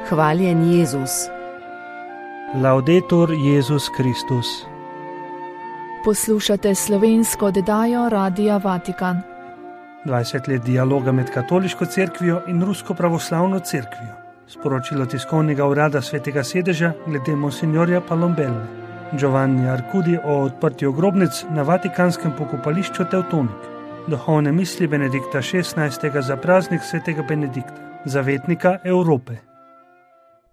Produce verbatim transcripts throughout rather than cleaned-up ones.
Hvaljen Jezus. Laudetur Jezus Kristus. Poslušate slovensko oddajo Radia Vatikan. dvajset let dialoga med katoliško cerkvijo in rusko pravoslavno cerkvijo. Sporočilo tiskovnega urada Svetega sedeža glede monsignorja Palombelle. Giovanni Arcudi o odprtju grobnic na vatikanskem pokopališču Teutonik. Duhovne misli Benedikta šestnajstega za praznik Svetega Benedikta, zavetnika Evrope.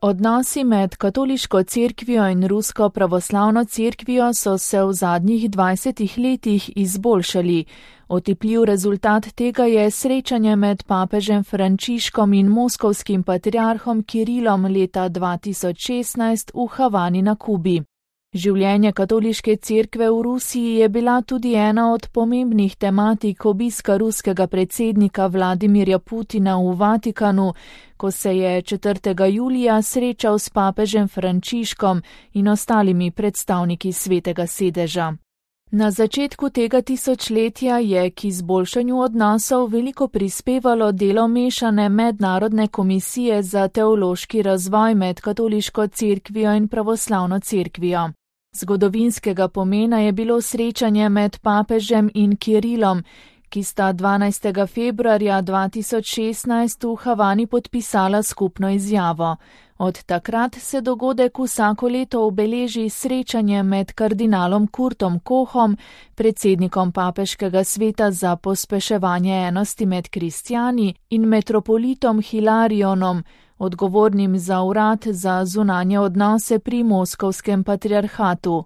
Odnosi med katoliško cerkvijo in rusko pravoslavno cerkvijo so se v zadnjih dvajsetih letih izboljšali. Otipljiv rezultat tega je srečanje med papežem Frančiškom in moskovskim patriarhom Kirilom leta dva tisoč šestnajst v Havani na Kubi. Življenje katoliške cerkve v Rusiji je bila tudi ena od pomembnih tematik obiska ruskega predsednika Vladimirja Putina v Vatikanu, ko se je četrtega julija srečal s papežem Frančiškom in ostalimi predstavniki Svetega sedeža. Na začetku tega tisočletja je k izboljšanju odnosov veliko prispevalo delo mešane mednarodne komisije za teološki razvoj med katoliško cerkvijo in pravoslavno cerkvijo. Zgodovinskega pomena je bilo srečanje med papežem in Kirilom, ki sta dvanajstega februarja dva tisoč šestnajst v Havani podpisala skupno izjavo. Od takrat se dogodek vsako leto obeleži srečanje med kardinalom Kurtom Kohom, predsednikom papeškega sveta za pospeševanje enosti med kristjani, in metropolitom Hilarionom, odgovornim za urad za zunanje odnose pri moskovskem patriarhatu.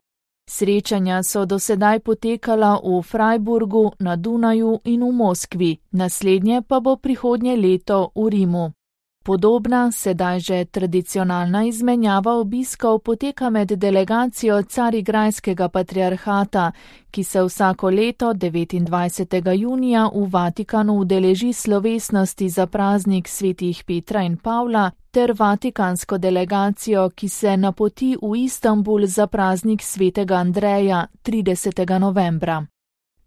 Srečanja so dosedaj potekala v Freiburgu, na Dunaju in v Moskvi, naslednje pa bo prihodnje leto v Rimu. Podobna, sedaj že tradicionalna izmenjava obiskov poteka med delegacijo Carigrajskega patriarhata, ki se vsako leto devetindvajsetega junija v Vatikanu udeleži slovesnosti za praznik svetih Petra in Pavla, ter vatikansko delegacijo, ki se napoti v Istanbul za praznik svetega Andreja tridesetega novembra.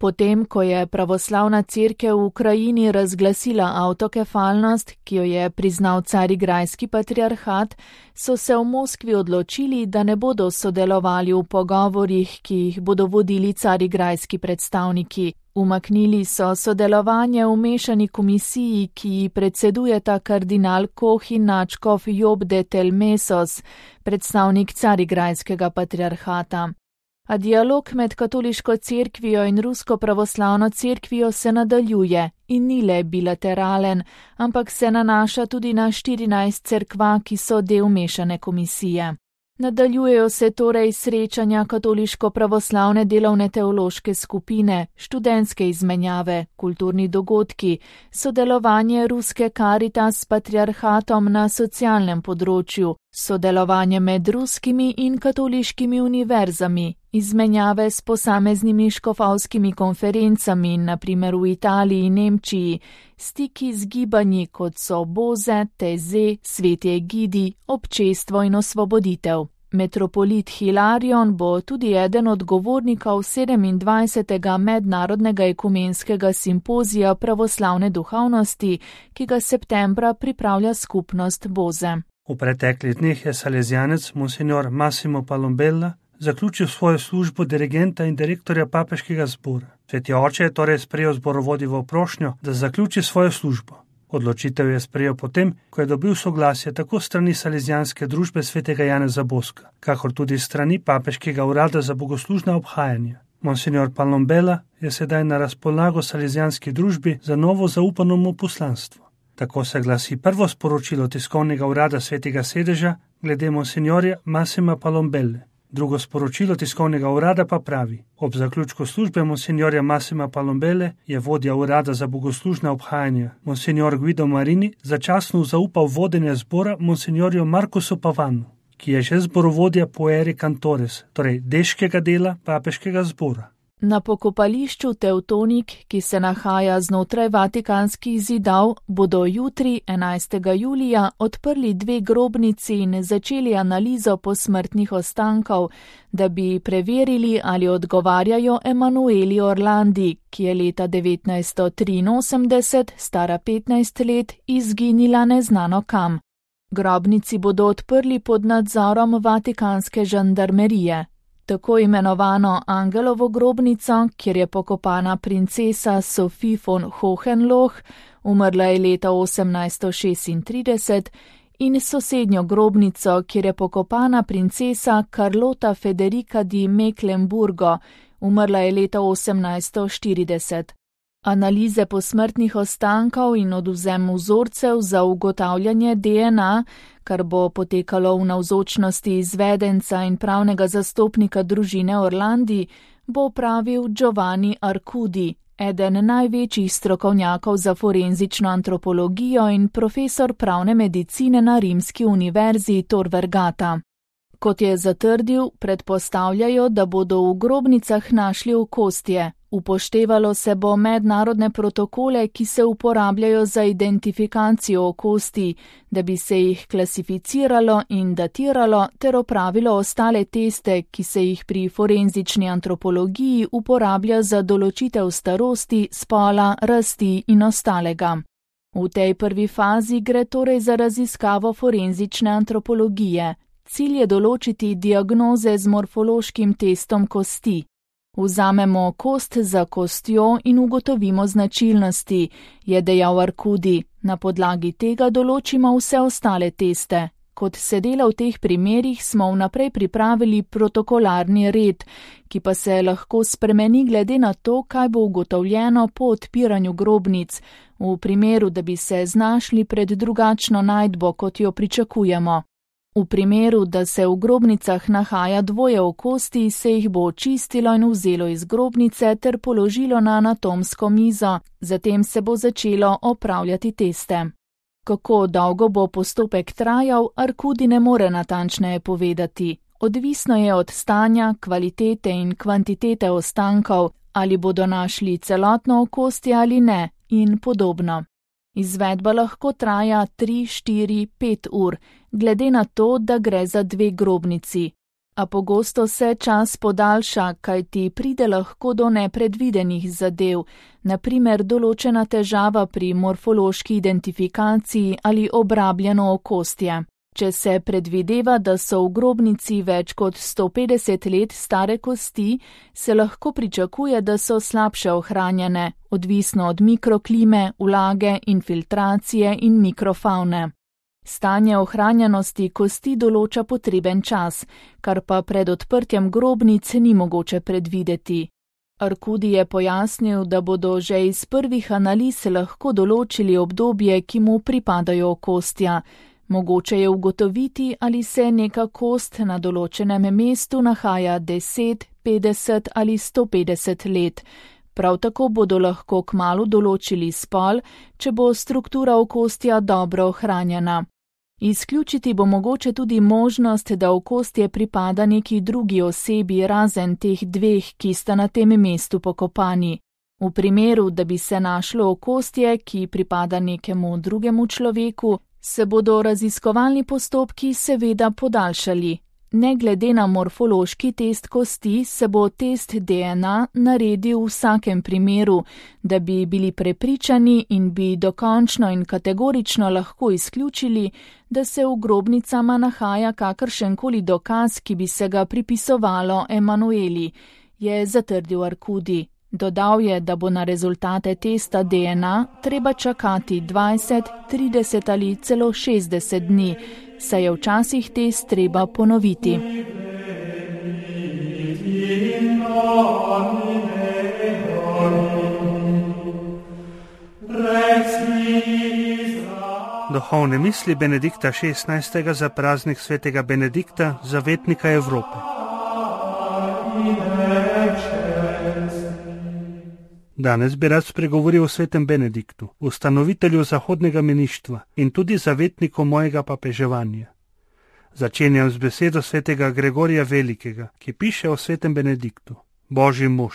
Potem, ko je pravoslavna cerkev v Ukrajini razglasila avtokefalnost, ki jo je priznal Carigrajski patriarhat, so se v Moskvi odločili, da ne bodo sodelovali v pogovorjih, ki jih bodo vodili carigrajski predstavniki. Umaknili so sodelovanje v mešani komisiji, ki ji predsedujeta kardinal Koh in nadškof Job de Telmesos, predstavnik Carigrajskega patriarhata. A dialog med katoliško cerkvijo in rusko pravoslavno cerkvijo se nadaljuje in ni le bilateralen, ampak se nanaša tudi na štirinajst cerkva, ki so del mešane komisije. Nadaljujejo se torej srečanja katoliško-pravoslavne delovne teološke skupine, študentske izmenjave, kulturni dogodki, sodelovanje ruske Caritas s patriarhatom na socialnem področju, sodelovanje med ruskimi in katoliškimi univerzami, izmenjave s posameznimi škofovskimi konferencami, naprimer v Italiji in Nemčiji, stiki z gibanji, kot so Boze, Teze, Sveti Egidi, Občestvo in Osvoboditev. Metropolit Hilarion bo tudi eden od govornikov sedemindvajsetega mednarodnega ekumenskega simpozija pravoslavne duhovnosti, ki ga septembra pripravlja skupnost Boze. V preteklih dneh je salezjanec monsignor Massimo Palombella zaključil svojo službo dirigenta in direktorja papeškega zbora. Sveti oče je torej sprejel zborovodjevo prošnjo, da zaključi svojo službo. Odločitev je sprejel potem, ko je dobil soglasje tako strani Salezjanske družbe svetega Janeza Boska, kakor tudi strani papeškega urada za bogoslužna obhajanja. Monsignor Palombella je sedaj na razpolago Salezjanski družbi za novo zaupano mu poslanstvo. Tako se glasi prvo sporočilo tiskovnega urada Svetega sedeža glede monsignorja Massima Palombelle. Drugo sporočilo tiskovnega urada pa pravi: ob zaključku službe monsignorja Massima Palombelle je vodja urada za bogoslužna obhajanja, monsignor Guido Marini, začasno zaupal vodenje zbora monsignorju Markusu Pavanu, ki je že zborovodja Pueri Cantores, torej deškega dela papeškega zbora. Na pokopališču Teutonik, ki se nahaja znotraj vatikanskih zidav, bodo jutri, enajstega julija, odprli dve grobnici in začeli analizo posmrtnih ostankov, da bi preverili, ali odgovarjajo Emanueli Orlandi, ki je leta devetnajststo triinosemdeset, stara petnajst let, izginila neznano kam. Grobnici bodo odprli pod nadzorom vatikanske žandarmerije. Tako imenovano Angelovo grobnico, kjer je pokopana princesa Sophie von Hohenlohe, umrla je leta osemnajststo šestintrideset, in sosednjo grobnico, kjer je pokopana princesa Carlota Federica di Mecklenburgo, umrla je leta osemnajststo štirideset. Analize posmrtnih ostankov in odvzem vzorcev za ugotavljanje D N A, kar bo potekalo v navzočnosti izvedenca in pravnega zastopnika družine Orlandi, bo opravil Giovanni Arcudi, eden največjih strokovnjakov za forenzično antropologijo in profesor pravne medicine na Rimski univerzi Tor Vergata. Kot je zatrdil, predpostavljajo, da bodo v grobnicah našli okostje. Upoštevalo se bo mednarodne protokole, ki se uporabljajo za identifikacijo okosti, da bi se jih klasificiralo in datiralo ter opravilo ostale teste, ki se jih pri forenzični antropologiji uporablja za določitev starosti, spola, rasti in ostalega. V tej prvi fazi gre torej za raziskavo forenzične antropologije. Cilj je določiti diagnoze z morfološkim testom kosti. Vzamemo kost za kostjo in ugotovimo značilnosti, je dejal Arcudi. Na podlagi tega določimo vse ostale teste. Kot se dela v teh primerih, smo vnaprej pripravili protokolarni red, ki pa se lahko spremeni glede na to, kaj bo ugotovljeno po odpiranju grobnic, v primeru, da bi se znašli pred drugačno najdbo, kot jo pričakujemo. V primeru, da se v grobnicah nahaja dvoje okosti, se jih bo očistilo in vzelo iz grobnice ter položilo na anatomsko mizo, zatem se bo začelo opravljati teste. Kako dolgo bo postopek trajal, Arcudi ne more natančneje povedati. Odvisno je od stanja, kvalitete in kvantitete ostankov, ali bodo našli celotno okostje ali ne, in podobno. Izvedba lahko traja tri, štiri, pet ur, glede na to, da gre za dve grobnici. A pogosto se čas podaljša, kajti pride lahko do nepredvidenih zadev, na primer določena težava pri morfološki identifikaciji ali obrabljeno okostje. Če se predvideva, da so v grobnici več kot sto petdeset let stare kosti, se lahko pričakuje, da so slabše ohranjene, odvisno od mikroklime, vlage, infiltracije in mikrofavne. Stanje ohranjenosti kosti določa potreben čas, kar pa pred odprtjem grobnic ni mogoče predvideti. Arcudi je pojasnil, da bodo že iz prvih analiz lahko določili obdobje, ki mu pripadajo okostja. Mogoče je ugotoviti, ali se neka kost na določenem mestu nahaja deset, petdeset ali sto petdeset let. Prav tako bodo lahko kmalu določili spol, če bo struktura okostja dobro ohranjena. Izključiti bo mogoče tudi možnost, da okostje pripada neki drugi osebi razen teh dveh, ki sta na tem mestu pokopani. V primeru, da bi se našlo okostje, ki pripada nekemu drugemu človeku, se bodo raziskovalni postopki seveda podaljšali. Ne glede na morfološki test kosti, se bo test D N A naredil v vsakem primeru, da bi bili prepričani in bi dokončno in kategorično lahko izključili, da se v grobnicama nahaja kakršenkoli dokaz, ki bi se ga pripisovalo Emanueli, je zatrdil Arcudi. Dodal je, da bo na rezultate testa D N A treba čakati dvajset, trideset ali celo šestdeset dni, saj je včasih test treba ponoviti. Duhovne misli Benedikta šestnajstega za praznik svetega Benedikta, zavetnika Evrope. Danes bi rad spregovoril o svetem Benediktu, ustanovitelju zahodnega meništva in tudi zavetniku mojega papeževanja. Začenjam z besedo svetega Gregorija Velikega, ki piše o svetem Benediktu. Božji mož,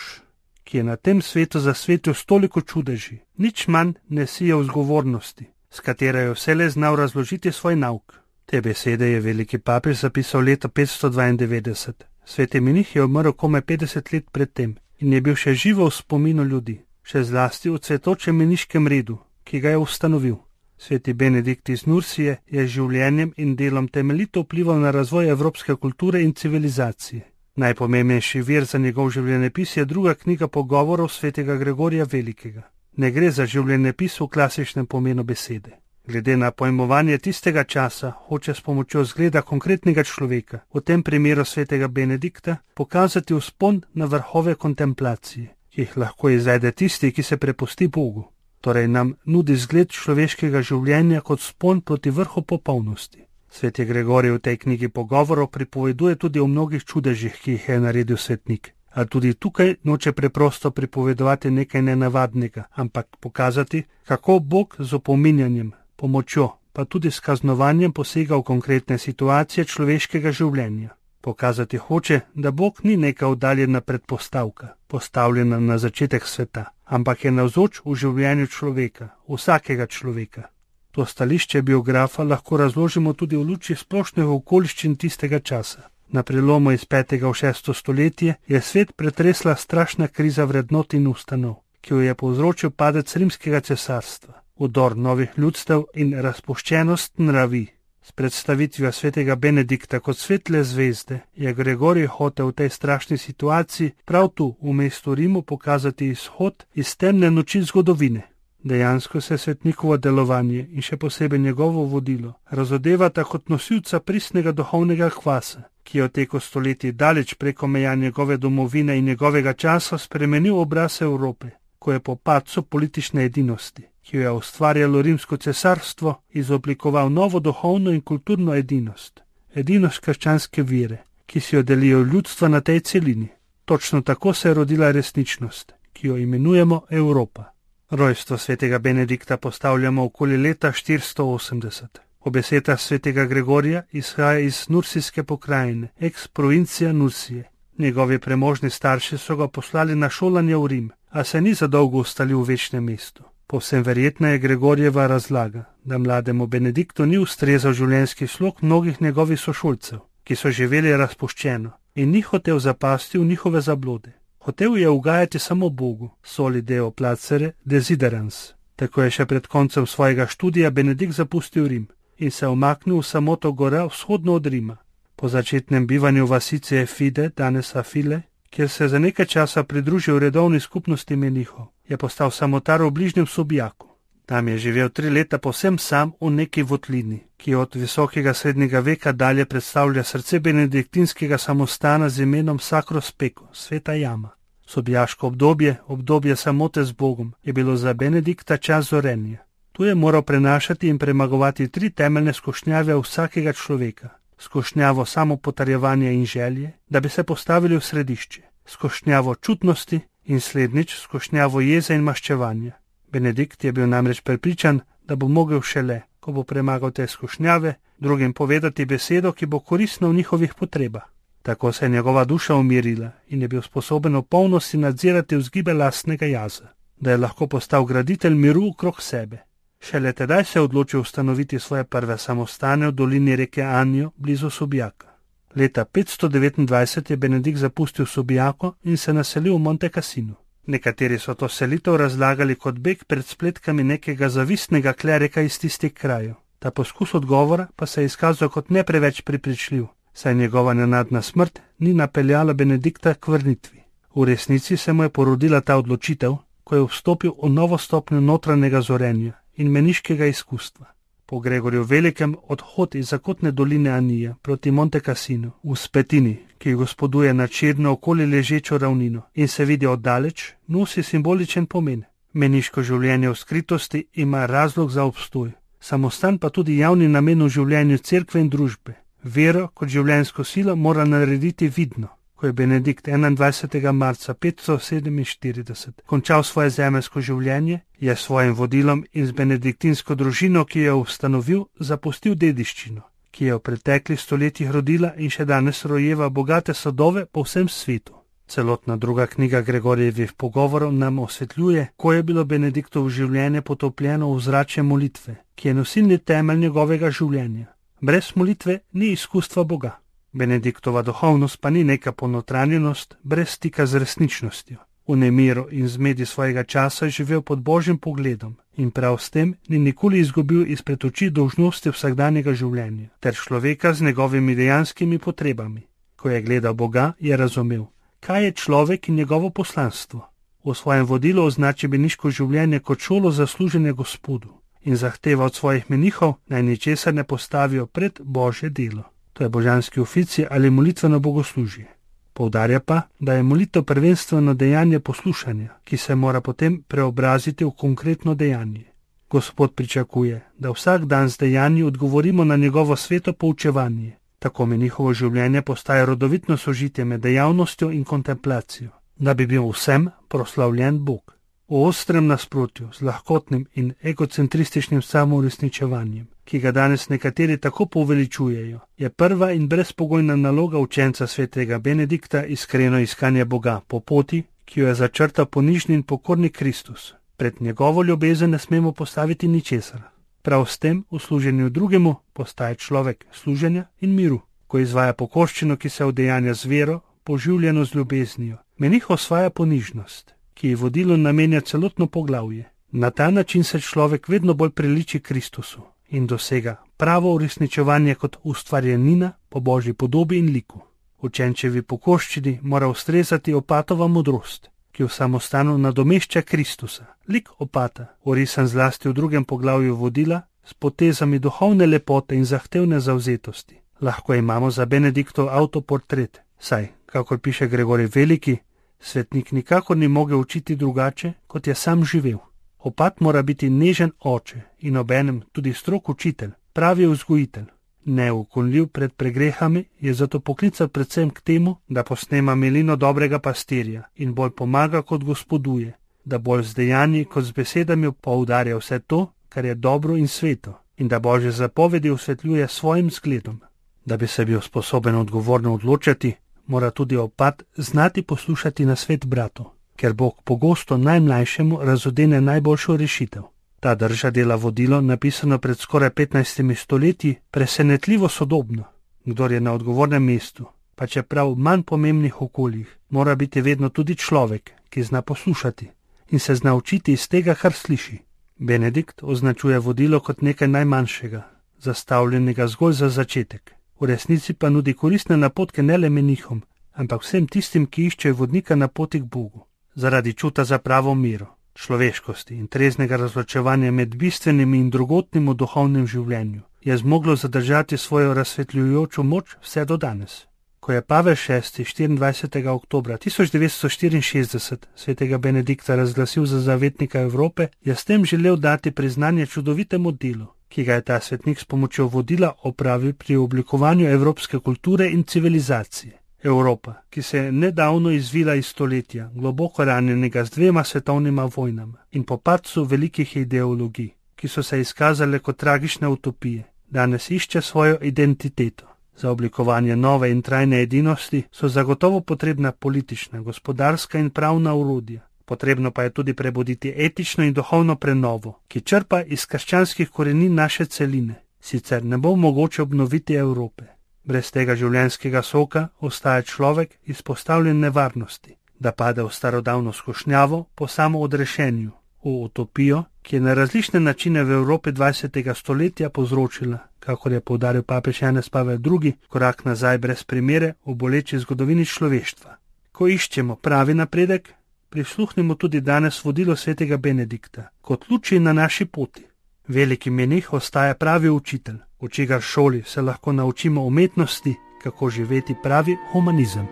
ki je na tem svetu zasvetil stoliko čudeži, nič manj ne sije vzgovornosti, s katero je vselej znal razložiti svoj nauk. Te besede je veliki papež zapisal leta petsto dvaindevetdeset. Sveti menih je umrl komaj petdeset let pred tem in je bil še živo v spominu ljudi, še zlasti v cvetočem meniškem redu, ki ga je ustanovil. Sveti Benedikt iz Nursije je življenjem in delom temeljito vplival na razvoj evropske kulture in civilizacije. Najpomembnejši vir za njegov življenjepis je druga knjiga pogovorov svetega Gregorija Velikega. Ne gre za življenjepis v klasičnem pomenu besede. Glede na pojmovanje tistega časa, hoče s pomočjo zgleda konkretnega človeka, v tem primeru svetega Benedikta, pokazati vzpon na vrhove kontemplacije, ki jih lahko izvede tisti, ki se prepusti Bogu. Torej nam nudi zgled človeškega življenja kot vzpon proti vrhu popolnosti. Sveti Gregorij v tej knjigi pogovorov pripoveduje tudi o mnogih čudežih, ki jih je naredil svetnik. A tudi tukaj noče preprosto pripovedovati nekaj nenavadnega, ampak pokazati, kako Bog z opominjanjem, pomočjo, pa tudi s kaznovanjem posega v konkretne situacije človeškega življenja. Pokazati hoče, da Bog ni neka oddaljena predpostavka, postavljena na začetek sveta, ampak je navzoč v življenju človeka, vsakega človeka. To stališče biografa lahko razložimo tudi v luči splošnih okoliščin tistega časa. Na prelomu iz petega v šesto stoletje je svet pretresla strašna kriza vrednot in ustanov, ki jo je povzročil padec rimskega cesarstva, vdor novih ljudstev in razpuščenost nravi. S predstavitvijo svetega Benedikta kot svetle zvezde je Gregorij hotel v tej strašni situaciji prav tu v mestu Rimu pokazati izhod iz temne noči zgodovine. Dejansko se svetnikovo delovanje in še posebej njegovo vodilo razodevata kot nosilca pristnega duhovnega kvasa, ki je v teku stoletij daleč preko meja njegove domovine in njegovega časa spremenil obraz Evrope, ko je po padcu politične edinosti, ki jo je ustvarjalo rimsko cesarstvo, izoblikoval novo duhovno in kulturno edinost, edinost krščanske vere, ki si jo delijo ljudstva na tej celini. Točno tako se je rodila resničnost, ki jo imenujemo Evropa. Rojstvo svetega Benedikta postavljamo okoli leta štiristo osemdeset. Po besedah svetega Gregorija izhaja iz nursijske pokrajine, ex provincija Nursije. Njegovi premožni starši so ga poslali na šolanje v Rim, a se ni zadolgo ustalil v večnem mestu. Povsem verjetna je Gregorjeva razlaga, da mlademu Benediktu ni ustrezal življenjski slog mnogih njegovih sošolcev, ki so živeli razpuščeno in ni hotel zapasti v njihove zablode. Hotel je ugajati samo Bogu, soli deo placere desiderans. Tako je še pred koncem svojega študija Benedikt zapustil Rim in se omaknil v samoto gora vzhodno od Rima. Po začetnem bivanju vasice Efide, danes Afile, kjer se za nekaj časa pridružil redovni skupnosti menihov, je postal samotar v bližnjem Subijaku. Tam je živel tri leta povsem sam v neki votlini, ki od visokega srednjega veka dalje predstavlja srce benediktinskega samostana z imenom Sacro Speco, sveta jama. Subijaško obdobje, obdobje samote z Bogom, je bilo za Benedikta čas zorenja. Tu je moral prenašati in premagovati tri temeljne skušnjave vsakega človeka. Skušnjavo samopotrjevanja in želje, da bi se postavili v središče, skušnjavo čutnosti in slednjič skušnjavo jeze in maščevanja. Benedikt je bil namreč prepričan, da bo mogel šele, ko bo premagal te skušnjave, drugim povedati besedo, ki bo koristna v njihovih potrebah. Tako se je njegova duša umirila in je bil sposoben v polnosti nadzirati vzgibe lastnega jaza, da je lahko postal graditelj miru okrog sebe. Šele tedaj se je odločil ustanoviti svoje prve samostane v dolini reke Anjo, blizu Subijaka. Leta petsto devetindvajset je Benedikt zapustil Subijako in se naselil v Monte Cassino. Nekateri so to selitev razlagali kot beg pred spletkami nekega zavistnega klerika iz tistih krajev. Ta poskus odgovora pa se je izkazal kot ne preveč prepričljiv, saj njegova nenadna smrt ni napeljala Benedikta k vrnitvi. V resnici se mu je porodila ta odločitev, ko je vstopil v novo stopnjo notranjega zorenja in meniškega izkustva. Po Gregorju Velikem odhod iz zakotne doline Anija proti Monte Cassino v Spetini, ki gospoduje nad širno okoli ležečo ravnino in se vidi oddaleč, nosi simboličen pomen. Meniško življenje v skritosti ima razlog za obstoj, samostan pa tudi javni namen v življenju cerkve in družbe. Vero kot življenjsko silo mora narediti vidno. Ko je Benedikt enaindvajsetega marca petsto sedeminštirideset končal svoje zemeljsko življenje, je s svojim vodilom in z benediktinsko družino, ki jo je ustanovil, zapustil dediščino, ki je v preteklih stoletjih rodila in še danes rojeva bogate sadove po vsem svetu. Celotna druga knjiga Gregorjevih pogovorov nam osvetljuje, ko je bilo Benediktovo življenje potopljeno v ozračje molitve, ki je nosilni temelj njegovega življenja. Brez molitve ni izkustva Boga. Benediktova duhovnost pa ni neka ponotranjenost brez stika z resničnostjo. V nemiru in zmedi svojega časa je živel pod Božjim pogledom in prav s tem ni nikoli izgubil izpred oči dolžnosti vsakdanjega življenja ter človeka z njegovimi dejanskimi potrebami. Ko je gledal Boga, je razumel, kaj je človek in njegovo poslanstvo. V svojem vodilu označi meniško življenje kot šolo za služenje Gospodu in zahteva od svojih menihov, naj ničesar ne postavijo pred Božje delo. To je božanski ofici ali molitveno bogoslužje. Poudarja pa, da je molitev prvenstveno dejanje poslušanja, ki se mora potem preobraziti v konkretno dejanje. Gospod pričakuje, da vsak dan z dejanji odgovorimo na njegovo sveto poučevanje. Tako menihovo življenje postaje rodovitno sožitje med dejavnostjo in kontemplacijo, da bi bil vsem proslavljen Bog. V ostrem nasprotju z lahkotnim in egocentrističnim samouresničevanjem, ki ga danes nekateri tako poveličujejo, je prva in brezpogojna naloga učenca svetega Benedikta iskreno iskanje Boga po poti, ki jo je začrtal ponižni in pokorni Kristus. Pred njegovo ljubezen ne smemo postaviti ničesar. Prav s tem v služenju drugemu postaje človek služenja in miru, ko izvaja pokorščino, ki se udejanja z vero, poživljeno z ljubeznijo. Menih osvaja ponižnost, ki ji vodilo namenja celotno poglavje. Na ta način se človek vedno bolj priliči Kristusu in dosega pravo uresničevanje kot ustvarjenina po Božji podobi in liku. Učenčevi pokorščini mora ustrezati opatova modrost, ki v samostanu nadomešča Kristusa. Lik opata, orisan zlasti v drugem poglavju vodila, s potezami duhovne lepote in zahtevne zavzetosti. Lahko imamo za Benediktov avtoportret, saj, kakor piše Gregorij Veliki, svetnik nikakor ni mogel učiti drugače, kot je sam živel. Opat mora biti nežen oče in obenem tudi strog učitelj, pravi vzgojitelj. Neukonljiv pred pregrehami je zato poklical predvsem k temu, da posnema milino dobrega pastirja in bolj pomaga kot gospoduje, da bolj z dejanji kot z besedami poudarja vse to, kar je dobro in sveto, in da Božje zapovedi osvetljuje svojim zgledom. Da bi se bil sposoben odgovorno odločati, mora tudi opat znati poslušati nasvet bratov, ker Bog pogosto najmlajšemu razodene najboljšo rešitev. Ta drža dela vodilo, napisano pred skoraj petnajstimi stoletji, presenetljivo sodobno. Kdor je na odgovornem mestu, pa čeprav v manj pomembnih okoljih, mora biti vedno tudi človek, ki zna poslušati in se zna učiti iz tega, kar sliši. Benedikt označuje vodilo kot nekaj najmanjšega, zastavljenega zgolj za začetek. V resnici pa nudi koristne napotke ne le menihom, ampak vsem tistim, ki iščejo vodnika na poti k Bogu. Zaradi čuta za pravo miro, človeškosti in treznega razločevanja med bistvenim in drugotnim v duhovnem življenju je zmoglo zadržati svojo razsvetljujočo moč vse do danes. Ko je Pavel šesti štiriindvajsetega oktobra tisoč devetsto štiriinšestdeset svetega Benedikta razglasil za zavetnika Evrope, je s tem želel dati priznanje čudovitemu delu, ki ga je ta svetnik s pomočjo vodila opravil pri oblikovanju evropske kulture in civilizacije. Evropa, ki se je nedavno izvila iz stoletja, globoko ranjenega z dvema svetovnima vojnama in po padcu velikih ideologij, ki so se izkazale kot tragične utopije, danes išče svojo identiteto. Za oblikovanje nove in trajne edinosti so zagotovo potrebna politična, gospodarska in pravna orodja. Potrebno pa je tudi prebuditi etično in duhovno prenovo, ki črpa iz krščanskih korenin naše celine. Sicer ne bo mogoče obnoviti Evrope. Brez tega življenjskega soka ostaja človek izpostavljen nevarnosti, da pade v starodavno skušnjavo po samoodrešenju, v utopijo, ki je na različne načine v Evropi dvajsetega stoletja povzročila, kakor je poudaril papež Janez Pavel drugi, korak nazaj brez primere v boleči zgodovini človeštva. Ko iščemo pravi napredek, prisluhnimo tudi danes vodilo svetega Benedikta, kot luči na naši poti. Veliki menih ostaja pravi učitelj, v čigar šoli se lahko naučimo umetnosti, kako živeti pravi humanizem.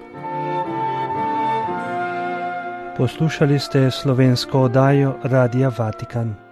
Poslušali ste slovensko oddajo Radia Vatikan.